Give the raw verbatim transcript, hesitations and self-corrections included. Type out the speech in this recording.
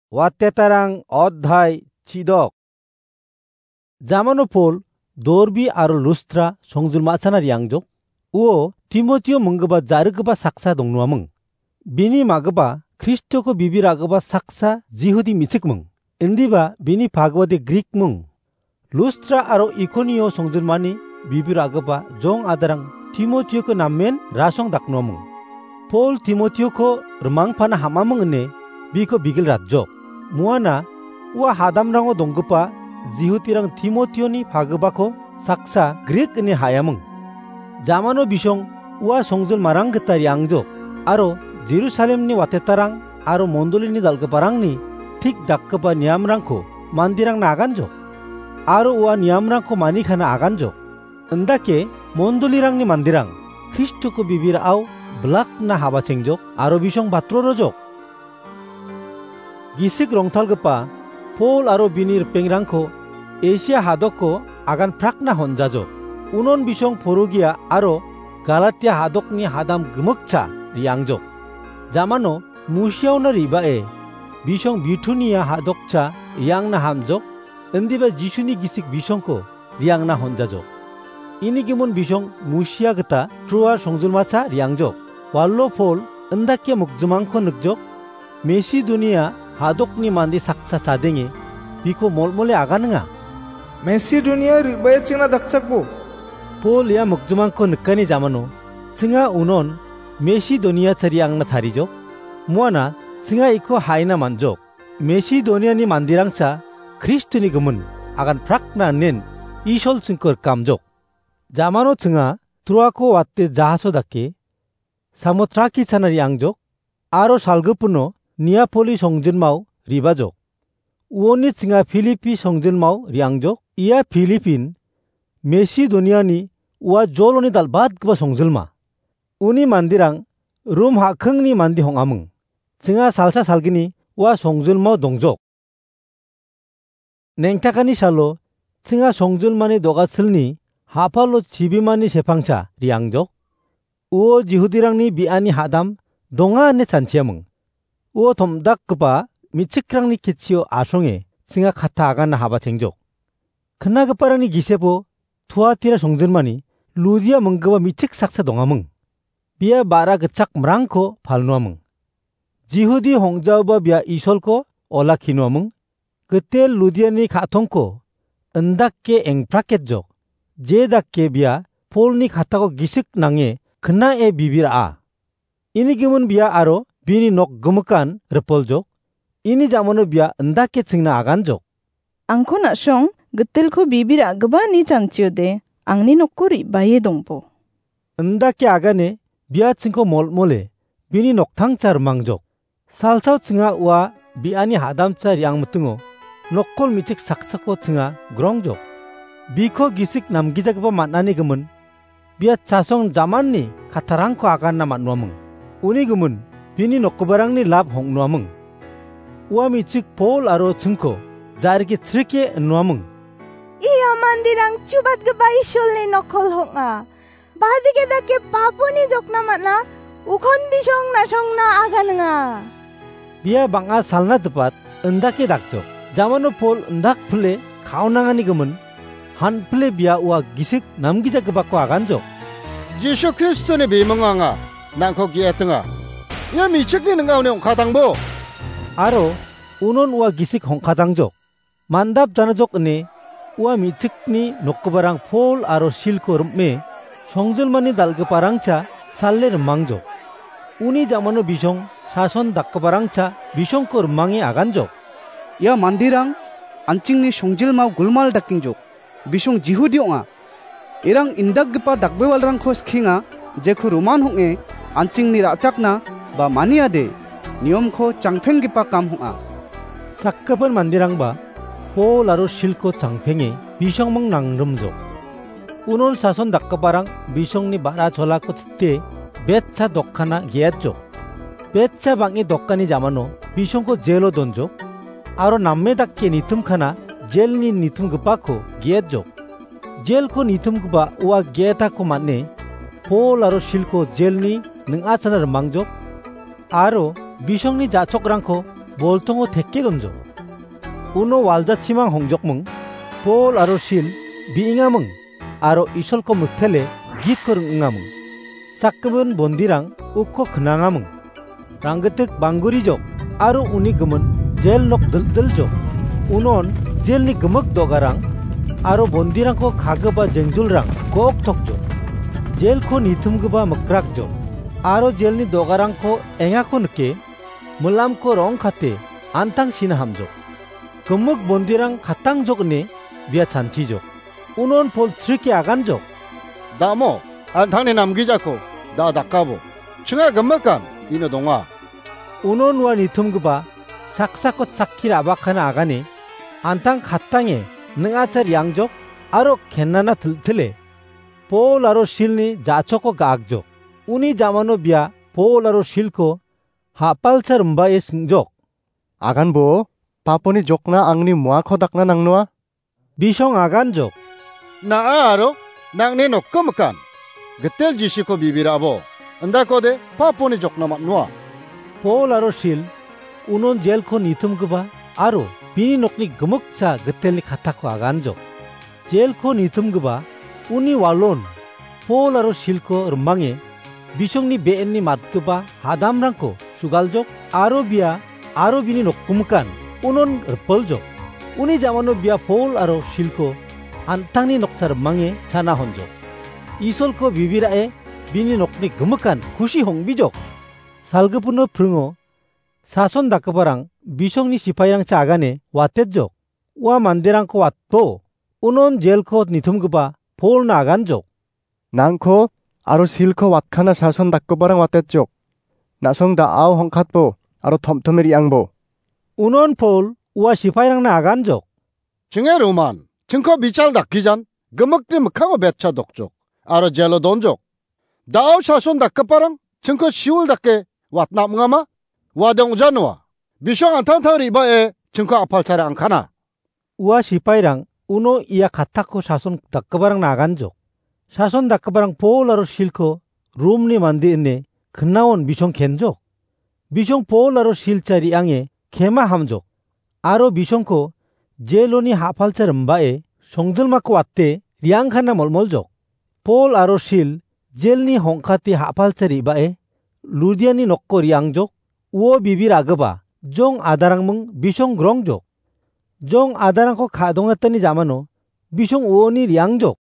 Watetarang odhai chidok. Jamano Pol Dorbi aro Lustra songjul ma·chana riangjok. Uo Timotio minggipa ja·rikgipa saksa dongnuaming. Bini ma·gipa Kristoko bibir a·gipa saksa Jihudi me·chikming. Indiba bini pagwade Grik ming. Lustra aro Ikonio songjulmani bibir a·gipa jong adarang Timotioko namen rasong daknuaming. Pol Timotioko rimangpana ham·aming ine biko bigil ratjok. Muana ua hadamrango donggipa Jihudirang Timotioni pagipako saksa Grik ine ha·aming. Jamano bisong ua songjulmarang gita riangjok aro Jerusalemni watetarang aro mondolini dal·giparangni tik dakgipa niamrangko manderangna aganjok. Aro ua niamrangko manikana aganjok. Indake mondolirangni manderang Kristoko bibir a·o bilakna habachengjok aro bisong batrorojok. Gisik rongtalgipa Pol aro bini ripengrangko Asia hadoko agan prakna honjajok. Unon bisong Porogia aro Galatia hadokni hadam gimikcha riangjok. Jamano Musiaona re·bae bisong Bitunia hadokcha riangna hamjok, indiba Jisuni gisik bisongko riangna honjajok. Ini gimin bisong Musia gita Troa songjulmacha riangjok. Walo Pol indake mokjimangko nikjok, Mesidonia hadokni mande saksa chadenge biko molmole aganinga. Mesidonia re·bae chingna dakchakbo. Pol ia mokjimangko nikani jamano chinga unon Mesidonia chariangna tarijok. Muana chinga iko haina manjok. Mesidoniani manderangcha Kristoni gimin agan prakna nen Isol chingko rikamjok. Jamano chinga Troako wate jahaso dake Samotraki chana riangjok, aro salgipino Niapoli songjinmao ribajok. Uoni chinga Filipi songjinmao riangjok. Ia Filipin Mesidoniani ua joloni dal·batgipa songjilma. Uni manderang Rom ha·kingni mande hong·aming. Chinga salsa salgini ua songjilmao dongjok. Nengtakani salo chinga songjilmani dogasilni ha·palo chibimani sepangcha riangjok. Uo Jihudirangni bi·ani hadam donga ine chanchiaming. Uo tom·dakgipa me·chikrangni ketchio asonge chinga katta aganna habachengjok. Knagiparangni gisepo Tuatira songjinmani Ludia minggipa me·chik saksa dongaming. Bia ba·ra gitchakmrangko palnuaming. Jihudi hong·jaoba bia Isolko olakkinuaming. Gitel Ludiani ka·tongko indake engpraketjok. Je dake bia Polni katako gisik nange knae bibir a·a. Ini gimin bia aro bini nok gimikan ripoljok. Ini jamano bia indake chingna aganjok. Angko na·song gitelko bibir a·gipa ni chanchiode angni nokko re·bae dongbo. Indake agane bia chingko molmole bini noktangcha rimangjok. Salsao chinga ua bi·ani hadamcha riangmitingo nokkol me·chik saksako chinga grongjok. Biko gisik namgijagipa man·ani gimin bia chasong jamanni kattarangko aganna man·uaming. Uni gimin bini nokgiparangni lap hong·nuaming. Ua me·chik Pol aro chingko ja·rike chrike inuaming. Ia manderang chubatgipa Isolni nokkol hong·a. Badike dake paponi jokna man·a, ukon bisong na·songna aganinga. Bia bang·a salna dipat indake dakjok. Jamano Pol indak pile kaonangani gimin, han pile bia ua gisik namgijagipako aganjok. Jisu Kristoni bimingo anga nangko ge·etinga. Ia me·chikni ning·aoni ong·katangbo. Aro unon ua gisik hong·katangjok. Mandap janajok ine ua me·chikni nokgiparang Pol aro Silko rim·e songjilmani dal·giparangcha sale rimangjok. Uni jamano bisong sason dakgiparangcha bisongko rimange aganjok. Ia manderang an·chingni songjilmao gulmal dakengjok. Bisong Jihudi ong·a. Irang indakgipa dakbewalrangko skienga, jeko roman hong·e an·chingni ra·chakna ba maniade niomko changpenggipa kam hong·a. Sakgipin manderangba Pol aro Silko changpenge bisongming nangrimjok. Unon sason dakgiparang bisongni ba·ra cholako chite betcha dokkana ge·etjok. Betcha bang·e dokani jamano bisongko jelo donjok, aro name dake nitimkana jelni nitimgipako ge·etjok. Jelko nitimgipa ua ge·etako man·e Pol aro Silko jelni ning·achana rimangjok, aro bisongni ja·chokrangko boltongo teke donjok. Uno waljachimang hongjokming, Pol aro Sil bi·engaming aro Isolko mitele gitko ring·engaming. Sakgipin bondirang uko knangaming. Ranggitik banggurijok aro uni gimin jel nok dil·diljok. Unon jelni gimik dogarang aro bondirangko kagipa jengjulrang goktokjok. Jelko nitimgipa mikrakjok aro jelni dogarangko engako nike milamko rongkate antang sina hamjok. Gimik bondirang katangjok ine bia chanchijok. Unon Pol srike aganjok. Damo, antangni namgijako da dakabo. Chinga gimikan ino donga. Unon ua nitimgipa saksako chakki ra·bakana agane, antang katange ning·acha riangjok aro kenana til·tile Pol aro Silni ja·choko ga·akjok. Uni jamano bia Pol aro Silko ha·palcha rimbae singjok. Aganbo, paponi jokna angni moako dakna nangnoa? Bisong aganjok. Na·a aro nang·ni nokko mikan. Gitel Jisuko bibirabo. Indakode paponi jokna man·noa. Pol aro Sil unon jelko nitimgipa aro bini nokni gimikcha gitelni katako aganjok. Jelko nitimgipa uni walon Pol aro Silko rimange bisongni be·enni matgipa hadamrangko sugaljok aro bia aro bini nokgimikan unon ripoljok. Uni jamano bia Pol aro Silko an·tangni noksa rimange sana honjok. Isolko bibirao bini nokni gimikan kusi hongbijok. Salgipino pringo sason dakgiparang bisongni sipairangcha agane watetjok. Ua manderangko watbo, unon jelko nitimgipa Polna aganjok. Nangko aro Silko watkana sason dakgiparang watetjok. Na·song da·ao hongkatbo aro tomtome re·angbo. Unon Pol ua sipairangna aganjok. Chinge Roman, chingko bichal dakgijan, gimikni mikkango betcha dokjok, aro jelo donjok. Da·o sason dakgiparang chingko siul dake watna am·gama? Uade ong·janoa. Bisong antangtang re·bae chingko apalchara angkana. Ua sipairang uno ia katako sason dakgiparangna aganjok. Sason dakgiparang Pol aro Silko Romni mande ine knaon bisong kenjok. Bisong Pol aro Silcha re·ange kema hamjok. Aro bisongko jeloni ha·palcha rimbae songjilmako wate re·angkana molmoljok. Pol aro Sil jelni hongkate ha·palcha re·bae Ludiani nokko re·angjok. Uo bibir agiba jong adarangming bisong grongjok. Jong adarangko ka·dongatani jamano bisong uoni re·angjok.